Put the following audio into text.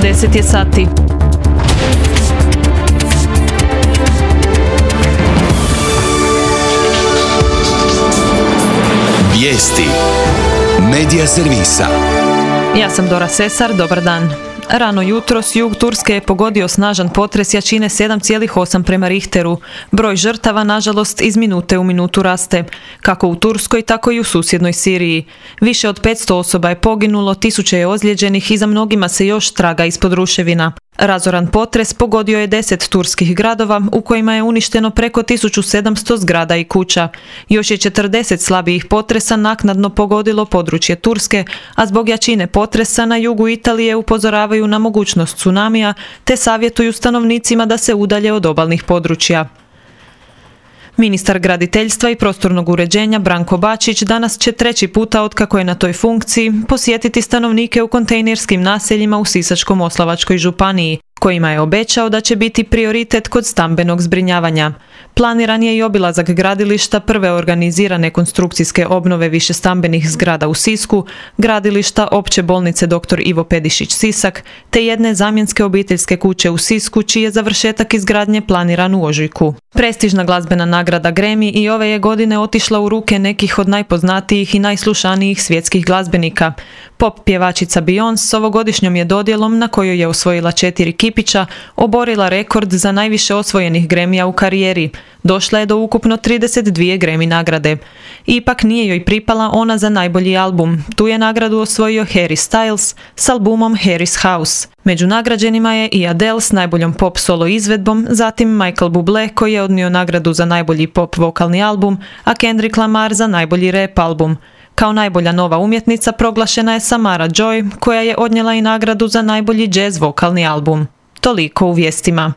10 je sati. Vijesti Medija servisa. Ja sam Dora Sesar, dobar dan. Rano jutros jug Turske je pogodio snažan potres jačine 7,8 prema Richteru. Broj žrtava, nažalost, iz minute u minutu raste, kako u Turskoj, tako i u susjednoj Siriji. Više od 500 osoba je poginulo, tisuće je ozlijeđenih i za mnogima se još traga ispod ruševina. Razoran potres pogodio je 10 turskih gradova u kojima je uništeno preko 1700 zgrada i kuća. Još je 40 slabijih potresa naknadno pogodilo područje Turske, a zbog jačine potresa na jugu Italije upozoravaju na mogućnost tsunamija te savjetuju stanovnicima da se udalje od obalnih područja. Ministar graditeljstva i prostornog uređenja Branko Bačić danas će 3. puta otkako je na toj funkciji posjetiti stanovnike u kontejnerskim naseljima u Sisačko-moslavačkoj županiji, kojima je obećao da će biti prioritet kod stambenog zbrinjavanja. Planiran je i obilazak gradilišta prve organizirane konstrukcijske obnove višestambenih zgrada u Sisku, gradilišta Opće bolnice dr. Ivo Pedišić Sisak, te jedne zamjenske obiteljske kuće u Sisku, čiji je završetak izgradnje planiran u ožujku. Prestižna glazbena nagrada Grammy i ove je godine otišla u ruke nekih od najpoznatijih i najslušanijih svjetskih glazbenika. Pop pjevačica Beyoncé s ovogodišnjom je dodjelom, na kojoj je osvojila 4 kipića, oborila rekord za najviše osvojenih Grammyja u karijeri. Došla je do ukupno 32 Grammy nagrade. Ipak nije joj pripala ona za najbolji album. Tu je nagradu osvojio Harry Styles s albumom Harry's House. Među nagrađenima je i Adele s najboljom pop solo izvedbom, zatim Michael Bublé koji je odnio nagradu za najbolji pop vokalni album, a Kendrick Lamar za najbolji rap album. Kao najbolja nova umjetnica proglašena je Samara Joy, koja je odnijela i nagradu za najbolji jazz vokalni album. Toliko u vijestima.